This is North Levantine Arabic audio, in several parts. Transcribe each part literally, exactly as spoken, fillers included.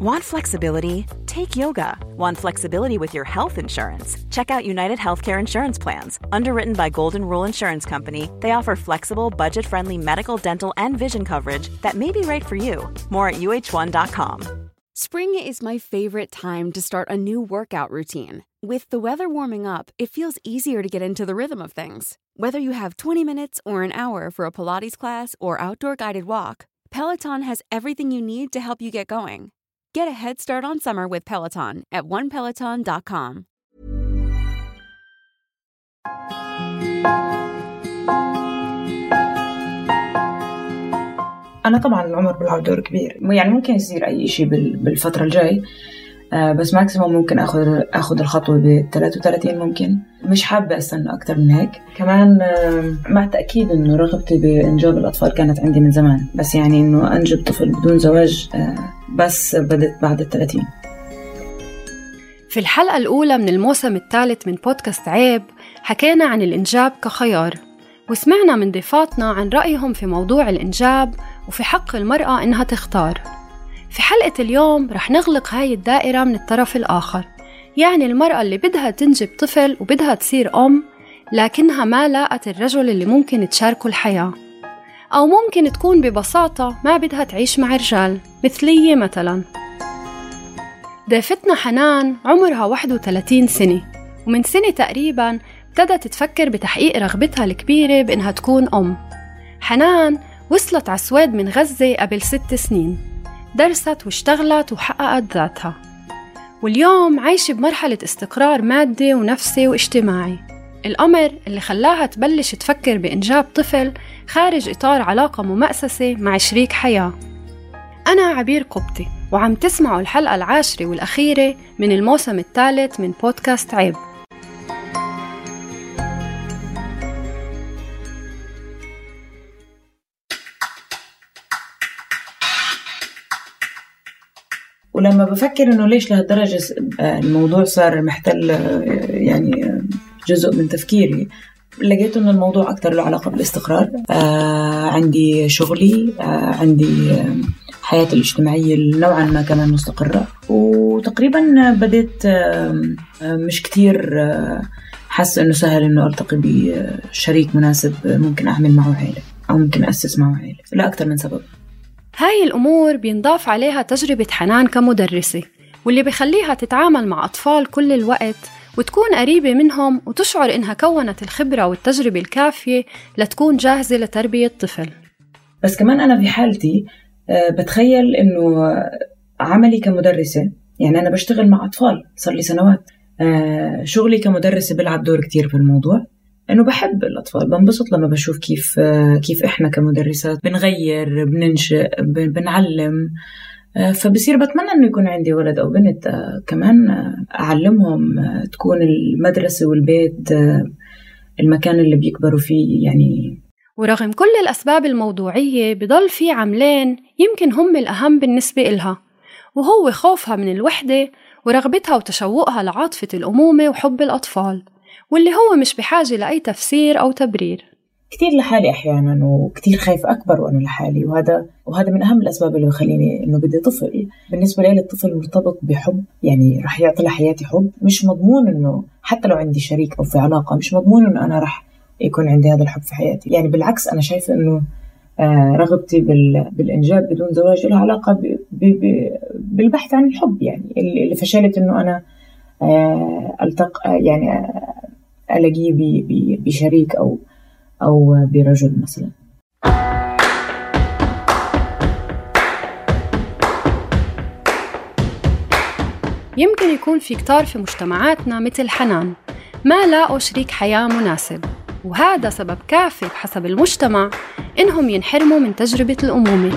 Want flexibility? Take yoga. Want flexibility with your health insurance? Check out United Healthcare Insurance Plans. Underwritten by Golden Rule Insurance Company, they offer flexible, budget-friendly medical, dental, and vision coverage that may be right for you. More at U H one dot com. Spring is my favorite time to start a new workout routine. With the weather warming up, it feels easier to get into the rhythm of things. Whether you have twenty minutes or an hour for a Pilates class or outdoor guided walk, Peloton has everything you need to help you get going. Get a head start on summer with Peloton at one peloton dot com. أنا طبعاً العمر بيلعب دور كبير، يعني ممكن يصير أي إشي بالفترة الجاي، بس ماكسيموم ممكن أخذ أخذ الخطوة بثلاثة وثلاثين، ممكن مش حابة أستنى أكتر من هيك. كمان مع تأكيد إنه رغبتي بإنجاب الأطفال كانت عندي من زمان، بس يعني إنه أنجب طفل بدون زواج بس بدت بعد الثلاثين. في الحلقة الأولى من الموسم الثالث من بودكاست عيب حكينا عن الإنجاب كخيار، وسمعنا من ضيفاتنا عن رأيهم في موضوع الإنجاب وفي حق المرأة إنها تختار. في حلقة اليوم رح نغلق هاي الدائرة من الطرف الآخر، يعني المرأة اللي بدها تنجب طفل وبدها تصير أم، لكنها ما لاقت الرجل اللي ممكن تشاركه الحياة، أو ممكن تكون ببساطة ما بدها تعيش مع رجال مثلية مثلا. ضيفتنا حنان عمرها واحد وثلاثين سنة، ومن سنة تقريبا ابتدت تفكر بتحقيق رغبتها الكبيرة بإنها تكون أم. حنان وصلت على السويد من غزة قبل ست سنين، درست واشتغلت وحققت ذاتها، واليوم عايشة بمرحلة استقرار مادي ونفسي واجتماعي، الأمر اللي خلاها تبلش تفكر بإنجاب طفل خارج إطار علاقة ممأسسة مع شريك حياة. أنا عبير قبطي، وعم تسمعوا الحلقة العاشرة والأخيرة من الموسم الثالث من بودكاست عيب. ولما بفكر إنه ليش لهالدرجة الموضوع صار محتل يعني جزء من تفكيري، لقيت إنه الموضوع أكتر له علاقة بالاستقرار. آه عندي شغلي، آه عندي حياتي الاجتماعية نوعا ما كمان مستقرة، وتقريبا بديت آه مش كتير آه حاسة إنه سهل إنه ألتقي بشريك مناسب ممكن أعمل معه عائلة أو ممكن أسس معه عائلة، لا أكتر من سبب. هاي الأمور بينضاف عليها تجربة حنان كمدرسة، واللي بيخليها تتعامل مع أطفال كل الوقت وتكون قريبة منهم وتشعر إنها كونت الخبرة والتجربة الكافية لتكون جاهزة لتربية طفل. بس كمان أنا في حالتي بتخيل إنه عملي كمدرسة، يعني أنا بشتغل مع أطفال صار لي سنوات، شغلي كمدرسة بيلعب دور كتير في الموضوع، إنه بحب الأطفال، بنبسط لما بشوف كيف كيف إحنا كمدرسات بنغير، بننشئ، بنعلم. فبصير بتمنى إنه يكون عندي ولد أو بنت كمان أعلمهم، تكون المدرسة والبيت المكان اللي بيكبروا فيه يعني. ورغم كل الأسباب الموضوعية بضل في عملين يمكن هم الأهم بالنسبة إلها، وهو خوفها من الوحدة ورغبتها وتشوقها لعاطفة الأمومة وحب الأطفال، واللي هو مش بحاجة لأي تفسير أو تبرير. كتير لحالي أحياناً، وكتير خايف أكبر وأنا لحالي، وهذا وهذا من أهم الأسباب اللي بخليني إنه بدي طفل. بالنسبة لي الطفل مرتبط بحب، يعني رح يعطي لحياتي حب، مش مضمون إنه حتى لو عندي شريك أو في علاقة مش مضمون إنه أنا رح يكون عندي هذا الحب في حياتي. يعني بالعكس أنا شايفة إنه آه رغبتي بالإنجاب بدون زواج لها علاقة ب ب ب بالبحث عن الحب، يعني اللي فشلت إنه أنا آه ألتقى يعني آه ألاقيه بشريك أو أو برجل مثلا. يمكن يكون في كتار في مجتمعاتنا مثل حنان ما لاقوا شريك حياة مناسب، وهذا سبب كافي بحسب المجتمع إنهم ينحرموا من تجربة الأمومة،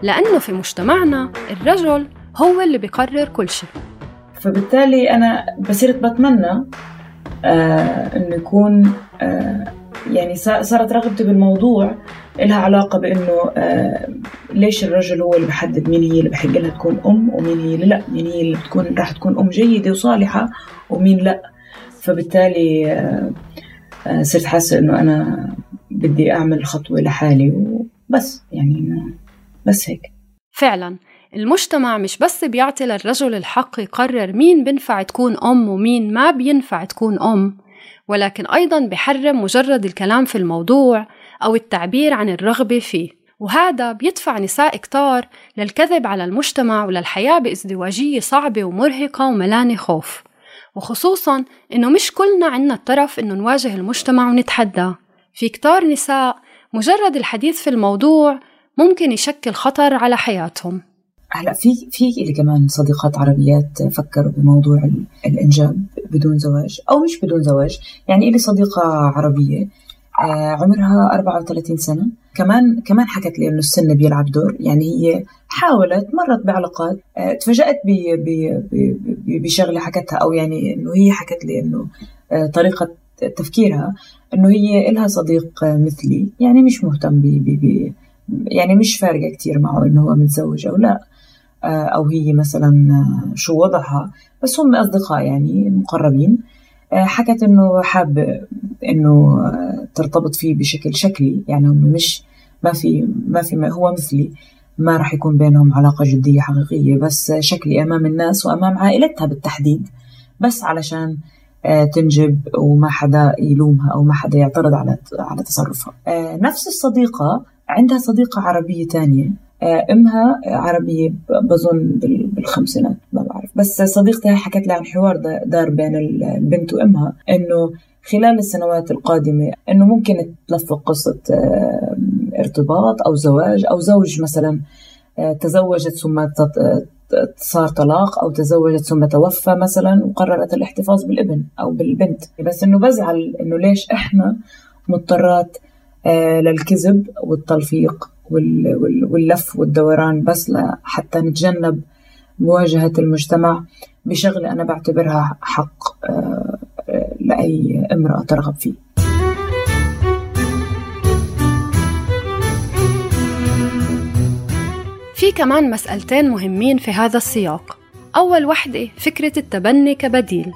لأنه في مجتمعنا الرجل هو اللي بيقرر كل شيء. فبالتالي أنا بصيرت بتمنى آه إنه يكون آه يعني صارت رغبتي بالموضوع لها علاقة بإنه آه ليش الرجل هو اللي بحدد مين هي اللي بحق لها تكون أم ومين هي اللي لا، مين هي اللي بتكون راح تكون أم جيدة وصالحة ومين لا. فبالتالي آه آه صرت حاسة إنه أنا بدي أعمل خطوة لحالي وبس، يعني بس هيك. فعلا المجتمع مش بس بيعطي للرجل الحق يقرر مين بينفع تكون أم ومين ما بينفع تكون أم، ولكن أيضاً بيحرم مجرد الكلام في الموضوع أو التعبير عن الرغبة فيه. وهذا بيدفع نساء كتار للكذب على المجتمع وللحياة بازدواجية صعبة ومرهقة وملانة خوف، وخصوصاً إنه مش كلنا عنا الطرف إنه نواجه المجتمع ونتحدى. في كتار نساء مجرد الحديث في الموضوع ممكن يشكل خطر على حياتهم. هلا في في اللي كمان صديقات عربيات فكروا بموضوع الإنجاب بدون زواج أو مش بدون زواج. يعني إلي صديقة عربية عمرها أربعة وثلاثين سنة، كمان كمان حكت لي إنه السن بيلعب دور. يعني هي حاولت مرت بعلاقات، تفاجأت بشغلة حكتها، أو يعني إنه هي حكت لي إنه طريقة تفكيرها إنه هي إلها صديق مثلي، يعني مش مهتم بي بي يعني مش فارقة كتير معه إنه هو متزوج أو لا، أو هي مثلا شو وضعها، بس هم أصدقاء يعني مقربين. حكت إنه حاب إنه ترتبط فيه بشكل شكلي، يعني هم مش ما في ما في ما هو مثلي، ما رح يكون بينهم علاقة جدية حقيقية، بس شكلي أمام الناس وأمام عائلتها بالتحديد، بس علشان تنجب وما حدا يلومها أو ما حدا يعترض على على تصرفها. نفس الصديقة عندها صديقة عربية تانية، أمها عربية بظن بالخمسينات ما بعرف، بس صديقتها حكت لها عن حوار دار بين البنت وأمها إنه خلال السنوات القادمة إنه ممكن تلفق قصة ارتباط أو زواج، أو زوج مثلا تزوجت ثم صار طلاق، أو تزوجت ثم توفى مثلا وقررت الاحتفاظ بالابن أو بالبنت. بس إنه بزعل إنه ليش إحنا مضطرات للكذب والتلفيق واللف والدوران بس حتى نتجنب مواجهة المجتمع بشغلة أنا بعتبرها حق لأي امرأة ترغب فيه. في كمان مسألتين مهمين في هذا السياق. أول وحدة فكرة التبني كبديل،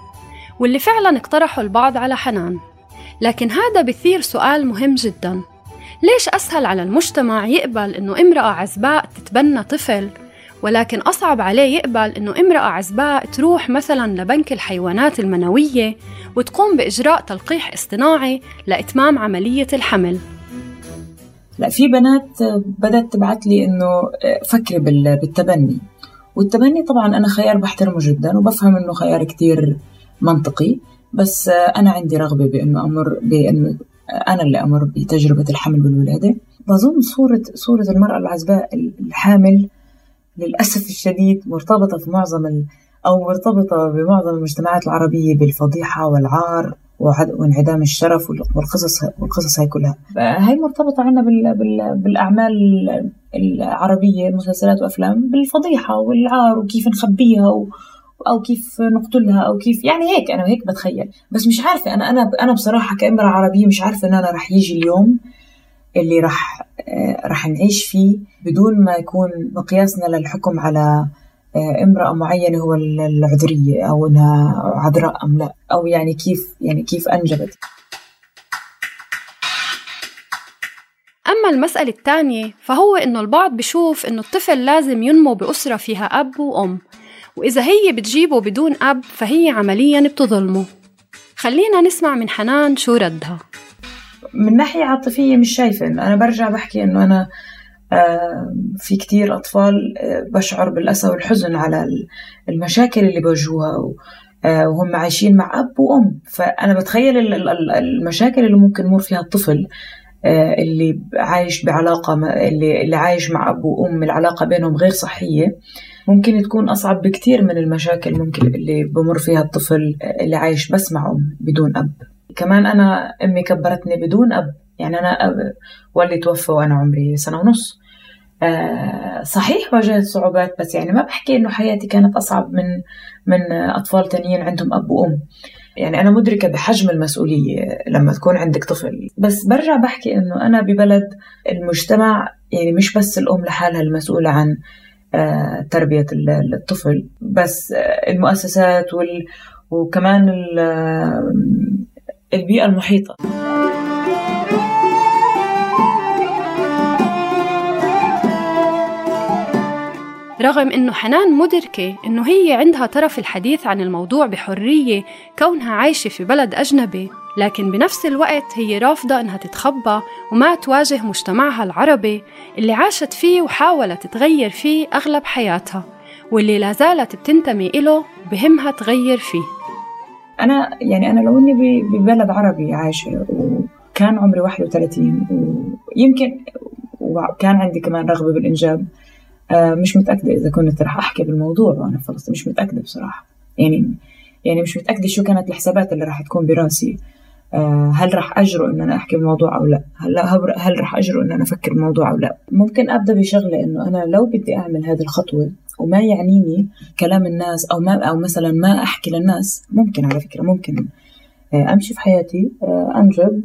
واللي فعلا اقترحوا البعض على حنان، لكن هذا بيثير سؤال مهم جدا: ليش أسهل على المجتمع يقبل إنه امرأة عزباء تتبنى طفل، ولكن أصعب عليه يقبل إنه امرأة عزباء تروح مثلا لبنك الحيوانات المنوية وتقوم بإجراء تلقيح اصطناعي لإتمام عملية الحمل؟ لا، في بنات بدأت تبعت لي إنه فكري بالتبني، والتبني طبعا أنا خيار بحترمه جدا وبفهم إنه خيار كتير منطقي، بس أنا عندي رغبة بإنه أمر بإنه أنا اللي أمر بتجربة الحمل والولادة. بظن صورة صورة المرأة العزباء الحامل للأسف الشديد مرتبطة في معظم ال أو مرتبطة بمعظم المجتمعات العربية بالفضيحة والعار وانعدام الشرف والقصص والقصص هاي كلها. هاي مرتبطة عنا بال بال بالأعمال العربية، المسلسلات وأفلام، بالفضيحة والعار وكيف نخبيها و أو كيف نقتلها أو كيف، يعني هيك أنا هيك بتخيل. بس مش عارفة، أنا أنا أنا بصراحة كامرأة عربية مش عارفة إن أنا رح يجي اليوم اللي رح رح نعيش فيه بدون ما يكون مقياسنا للحكم على امرأة معينة هو العذرية أو إنها عذراء أم لا، أو يعني كيف يعني كيف أنجبت. أما المسألة الثانية فهو إنه البعض بيشوف إنه الطفل لازم ينمو بأسرة فيها أب وأم، وإذا هي بتجيبه بدون أب فهي عملياً بتظلمه. خلينا نسمع من حنان شو ردها. من ناحية عاطفية مش شايفة، أنا برجع بحكي إنه أنا في كتير أطفال بشعر بالأسى والحزن على المشاكل اللي بواجهوها وهم عايشين مع أب وأم. فأنا بتخيل المشاكل اللي ممكن يمر فيها الطفل اللي عايش بعلاقة اللي اللي عايش مع أب وأم العلاقة بينهم غير صحية، ممكن تكون أصعب بكتير من المشاكل ممكن اللي بمر فيها الطفل اللي عايش بس مع أم بدون أب. كمان أنا أمي كبرتني بدون أب، يعني أنا أب واللي توفى وأنا عمري سنة ونص. أه صحيح واجهت صعوبات، بس يعني ما بحكي إنه حياتي كانت أصعب من من أطفال تانيين عندهم أب وأم. يعني أنا مدركة بحجم المسؤولية لما تكون عندك طفل، بس برجع بحكي إنه أنا ببلد المجتمع يعني مش بس الأم لحالها المسؤولة عن أه تربية الطفل، بس المؤسسات وال وكمان البيئة المحيطة. رغم إنه حنان مدركة إنه هي عندها طرف الحديث عن الموضوع بحرية كونها عايشة في بلد أجنبي، لكن بنفس الوقت هي رافضة إنها تتخبى وما تواجه مجتمعها العربي اللي عاشت فيه وحاولت تغير فيه أغلب حياتها، واللي لازالت بتنتمي إله وبهمها تغير فيه. أنا يعني أنا لو إني ببلد عربي عايشة وكان عمري واحد وثلاثين ويمكن وكان عندي كمان رغبة بالإنجاب، مش متأكدة إذا كنت رح أحكي بالموضوع وأنا في فلسطين. مش متأكدة بصراحة، يعني يعني مش متأكدة شو كانت الحسابات اللي رح تكون براسي. هل رح أجرؤ إن أنا أحكي بالموضوع أو لا؟ هل هل رح أجرؤ إن أنا أفكر بالموضوع أو لا؟ ممكن أبدأ بشغلة إنه أنا لو بدي أعمل هذه الخطوة وما يعنيني كلام الناس أو ما أو مثلا ما أحكي للناس، ممكن على فكرة ممكن أمشي في حياتي، أنجب،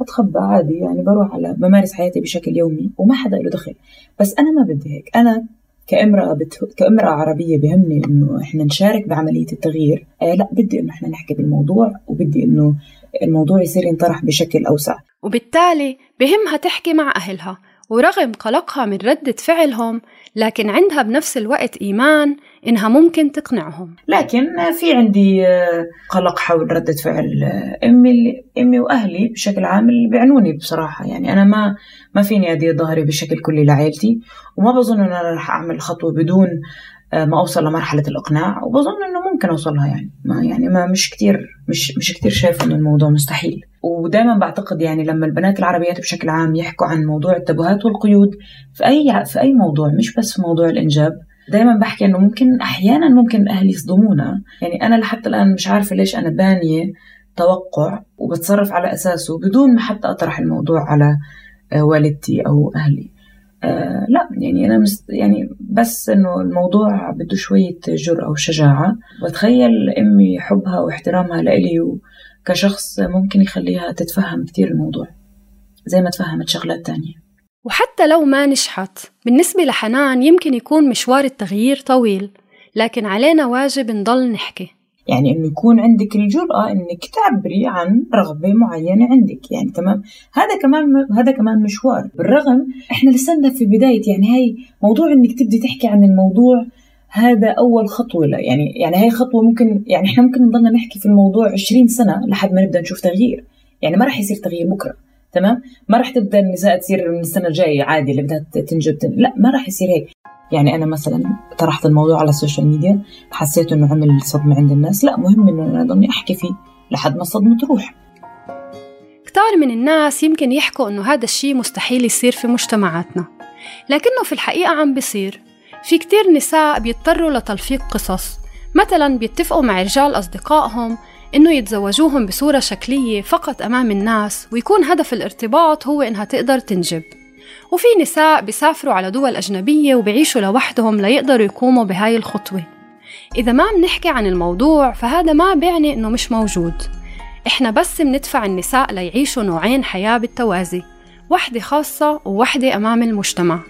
أتخبى عادي، يعني بروح على بمارس حياتي بشكل يومي وما حدا له دخل. بس أنا ما بدي هيك. أنا كامرأة بت... كامرأة عربية بهمني إنه إحنا نشارك بعملية التغيير. آه لا، بدي إنه إحنا نحكي بالموضوع وبدي إنه الموضوع يصير ينطرح بشكل أوسع، وبالتالي بهمها تحكي مع أهلها. ورغم قلقها من ردة فعلهم، لكن عندها بنفس الوقت إيمان إنها ممكن تقنعهم. لكن في عندي قلق حول ردة فعل أمي أمي وأهلي بشكل عام اللي بيعنوني بصراحة. يعني أنا ما ما فيني أدير ظهري بشكل كلي لعائلتي، وما بظن أن أنا رح أعمل خطوة بدون ما أوصل لمرحلة الإقناع، وبظن أنه ممكن أوصلها. يعني ما يعني ما مش كتير مش مش كتير شايف أن الموضوع مستحيل. ودائما بعتقد يعني لما البنات العربيات بشكل عام يحكوا عن موضوع التابوهات والقيود في أي في أي موضوع، مش بس في موضوع الإنجاب، دائما بحكي أنه ممكن أحيانا ممكن أهلي يصدمونا. يعني أنا لحتى الآن مش عارفة ليش أنا بانية توقع وبتصرف على أساسه بدون ما حتى أطرح الموضوع على والدتي أو أهلي. آه لا يعني أنا مست يعني بس إنه الموضوع بده شوية جرأة وشجاعة، وتخيل أمي حبها واحترامها لإلي كشخص ممكن يخليها تتفهم كتير الموضوع زي ما تفهمت شغلات تانية. وحتى لو ما نجحت، بالنسبة لحنان يمكن يكون مشوار التغيير طويل، لكن علينا واجب نضل نحكي. يعني إنه يكون عندك الجرأة إنك تعبري عن رغبة معينة عندك. يعني تمام، هذا كمان هذا كمان مشوار. بالرغم إحنا لسنا في بداية، يعني هاي موضوع إنك تبدي تحكي عن الموضوع هذا أول خطوة. لا يعني يعني هاي خطوة ممكن يعني إحنا ممكن نضلنا نحكي في الموضوع عشرين سنة لحد ما نبدأ نشوف تغيير. يعني ما رح يصير تغيير بكرة، تمام؟ ما رح تبدأ النساء تصير من السنة الجاية عادي اللي بدها تنجب تن... لا ما رح يصير هيك. يعني أنا مثلا طرحت الموضوع على السوشيال ميديا، حسيت إنه عمل صدمة عند الناس. لا، مهم إنه أنا ضلني أحكي فيه لحد ما الصدمة تروح. كتار من الناس يمكن يحكوا إنه هذا الشيء مستحيل يصير في مجتمعاتنا، لكنه في الحقيقة عم بيصير. في كتير نساء بيضطروا لتلفيق قصص، مثلا بيتفقوا مع رجال أصدقائهم إنه يتزوجوهم بصورة شكلية فقط أمام الناس، ويكون هدف الارتباط هو إنها تقدر تنجب. وفي نساء بيسافروا على دول أجنبية وبيعيشوا لوحدهم ليقدروا يقوموا بهاي الخطوة. إذا ما بنحكي عن الموضوع فهذا ما بيعني إنه مش موجود. إحنا بس بندفع النساء ليعيشوا نوعين حياة بالتوازي، واحدة خاصة وواحدة أمام المجتمع.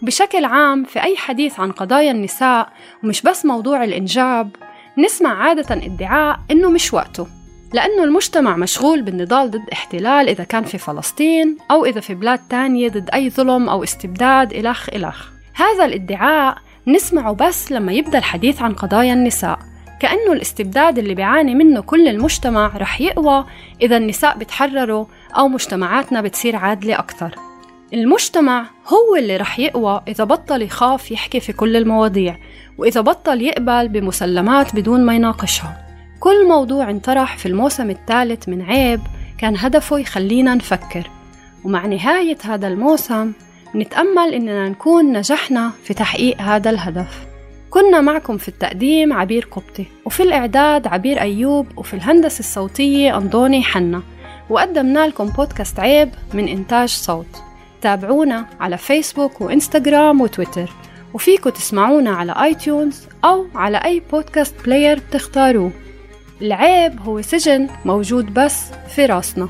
وبشكل عام في أي حديث عن قضايا النساء ومش بس موضوع الإنجاب، نسمع عادة ادعاء إنه مش وقته، لأنه المجتمع مشغول بالنضال ضد احتلال إذا كان في فلسطين أو إذا في بلاد تانية ضد أي ظلم أو استبداد إلخ إلخ. هذا الادعاء نسمعه بس لما يبدأ الحديث عن قضايا النساء، كأنه الاستبداد اللي بيعاني منه كل المجتمع رح يقوى إذا النساء بتحرروا أو مجتمعاتنا بتصير عادلة أكتر. المجتمع هو اللي رح يقوى إذا بطل يخاف يحكي في كل المواضيع، وإذا بطل يقبل بمسلمات بدون ما يناقشها. كل موضوع انطرح في الموسم الثالث من عيب كان هدفه يخلينا نفكر، ومع نهاية هذا الموسم نتأمل إننا نكون نجحنا في تحقيق هذا الهدف. كنا معكم في التقديم عبير قبطي، وفي الإعداد عبير أيوب، وفي الهندسة الصوتية أنضوني حنا، وقدمنا لكم بودكاست عيب من إنتاج صوت. تابعونا على فيسبوك وإنستغرام وتويتر، وفيكم تسمعونا على آي تيونز أو على أي بودكاست بلاير بتختاروه. العيب هو سجن موجود بس في راسنا.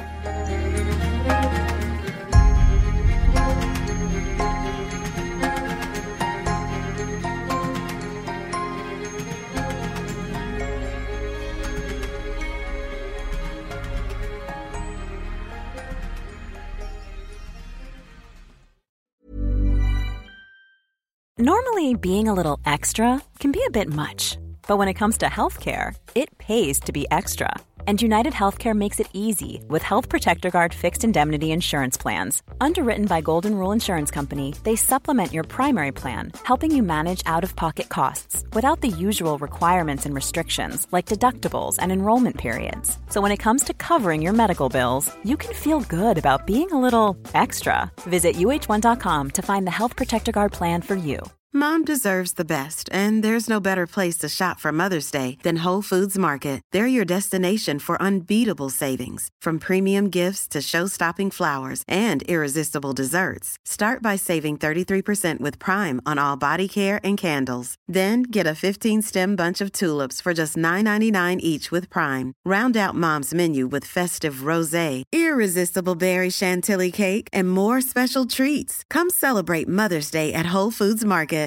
Normally, being a little extra can be a bit much, but when it comes to healthcare, it pays to be extra. And United Healthcare makes it easy with Health Protector Guard fixed indemnity insurance plans. Underwritten by Golden Rule Insurance Company, they supplement your primary plan, helping you manage out-of-pocket costs without the usual requirements and restrictions like deductibles and enrollment periods. So when it comes to covering your medical bills, you can feel good about being a little extra. Visit U H one dot com to find the Health Protector Guard plan for you. Mom deserves the best, and there's no better place to shop for Mother's Day than Whole Foods Market. They're your destination for unbeatable savings, from premium gifts to show-stopping flowers and irresistible desserts. Start by saving thirty-three percent with Prime on all body care and candles. Then get a fifteen-stem bunch of tulips for just nine ninety-nine each with Prime. Round out Mom's menu with festive rosé, irresistible berry chantilly cake, and more special treats. Come celebrate Mother's Day at Whole Foods Market.